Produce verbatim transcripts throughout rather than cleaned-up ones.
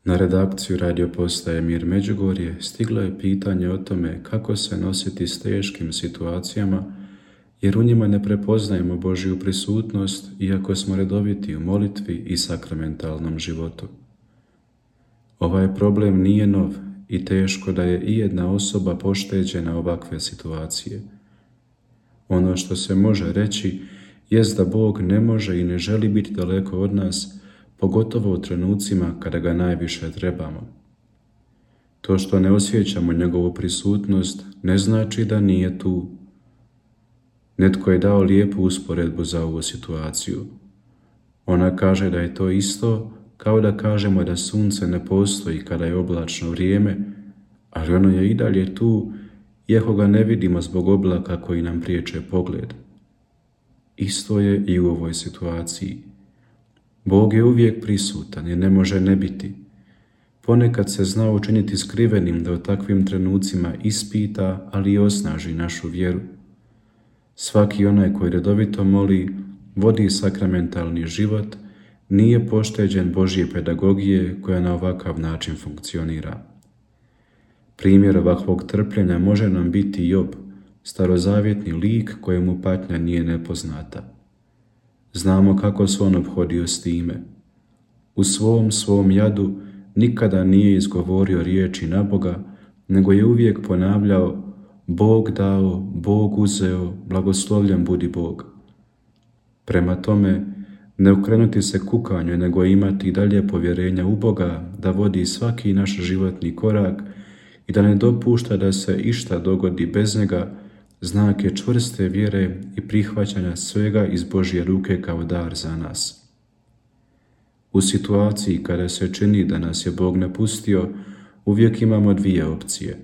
Na redakciju radio postaje Mir Međugorje stiglo je pitanje o tome kako se nositi s teškim situacijama, jer u njima ne prepoznajemo Božju prisutnost iako smo redoviti u molitvi i sakramentalnom životu. Ovaj problem nije nov i teško da je ijedna osoba pošteđena ovakve situacije. Ono što se može reći jest da Bog ne može i ne želi biti daleko od nas, pogotovo u trenucima kada ga najviše trebamo. To što ne osjećamo njegovu prisutnost ne znači da nije tu. Netko je dao lijepu usporedbu za ovu situaciju. Ona kaže da je to isto kao da kažemo da sunce ne postoji kada je oblačno vrijeme, ali ono je i dalje tu, iako ga ne vidimo zbog oblaka koji nam priječe pogled. Isto je i u ovoj situaciji. Bog je uvijek prisutan i ne može ne biti. Ponekad se zna učiniti skrivenim da u takvim trenucima ispita, ali i osnaži našu vjeru. Svaki onaj koji redovito moli, vodi sakramentalni život, nije pošteđen Božje pedagogije koja na ovakav način funkcionira. Primjer ovakvog trpljenja može nam biti Job, starozavjetni lik kojemu patnja nije nepoznata. Znamo kako se on obhodio s time. U svom svom jadu nikada nije izgovorio riječi na Boga, nego je uvijek ponavljao: Bog dao, Bog uzeo, blagoslovljen budi Bog. Prema tome, ne okrenuti se kukanju, nego imati dalje povjerenja u Boga da vodi svaki naš životni korak i da ne dopušta da se išta dogodi bez njega, znak je čvrste vjere i prihvaćanja svega iz Božje ruke kao dar za nas. U situaciji kada se čini da nas je Bog napustio, uvijek imamo dvije opcije: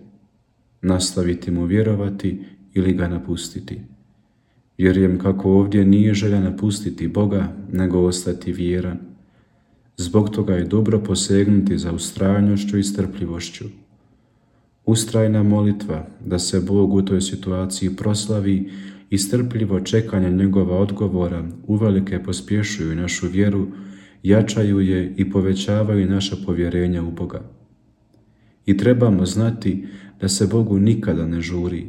nastaviti mu vjerovati ili ga napustiti. Vjerujem kako ovdje nije želja napustiti Boga, nego ostati vjeran. Zbog toga je dobro posegnuti za ustrajnošću i strpljivošću. Ustrajna molitva da se Bog u toj situaciji proslavi i strpljivo čekanje njegova odgovora uvelike pospješuju našu vjeru, jačaju je i povećavaju naša povjerenja u Boga. I trebamo znati da se Bogu nikada ne žuri.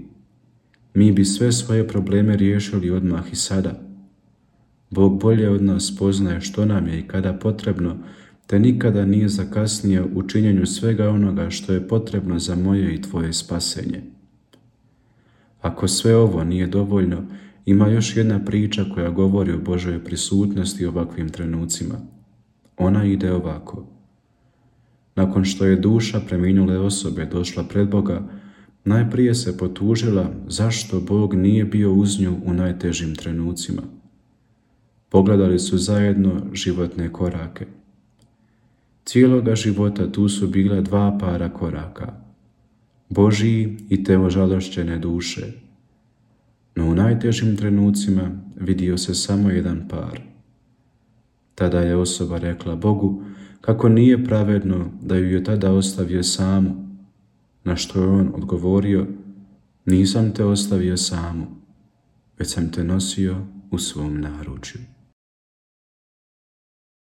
Mi bi sve svoje probleme riješili odmah i sada. Bog bolje od nas poznaje što nam je i kada potrebno, te nikada nije zakasnio u činjenju svega onoga što je potrebno za moje i tvoje spasenje. Ako sve ovo nije dovoljno, ima još jedna priča koja govori o Božoj prisutnosti u ovakvim trenucima. Ona ide ovako. Nakon što je duša preminule osobe došla pred Boga, najprije se potužila zašto Bog nije bio uz nju u najtežim trenucima. Pogledali su zajedno životne korake. Cijeloga života tu su bila dva para koraka, Božji i te ožalošćene duše. No u najtežim trenucima vidio se samo jedan par. Tada je osoba rekla Bogu kako nije pravedno da ju je tada ostavio samu, na što je on odgovorio: nisam te ostavio samu, već sam te nosio u svom naručju.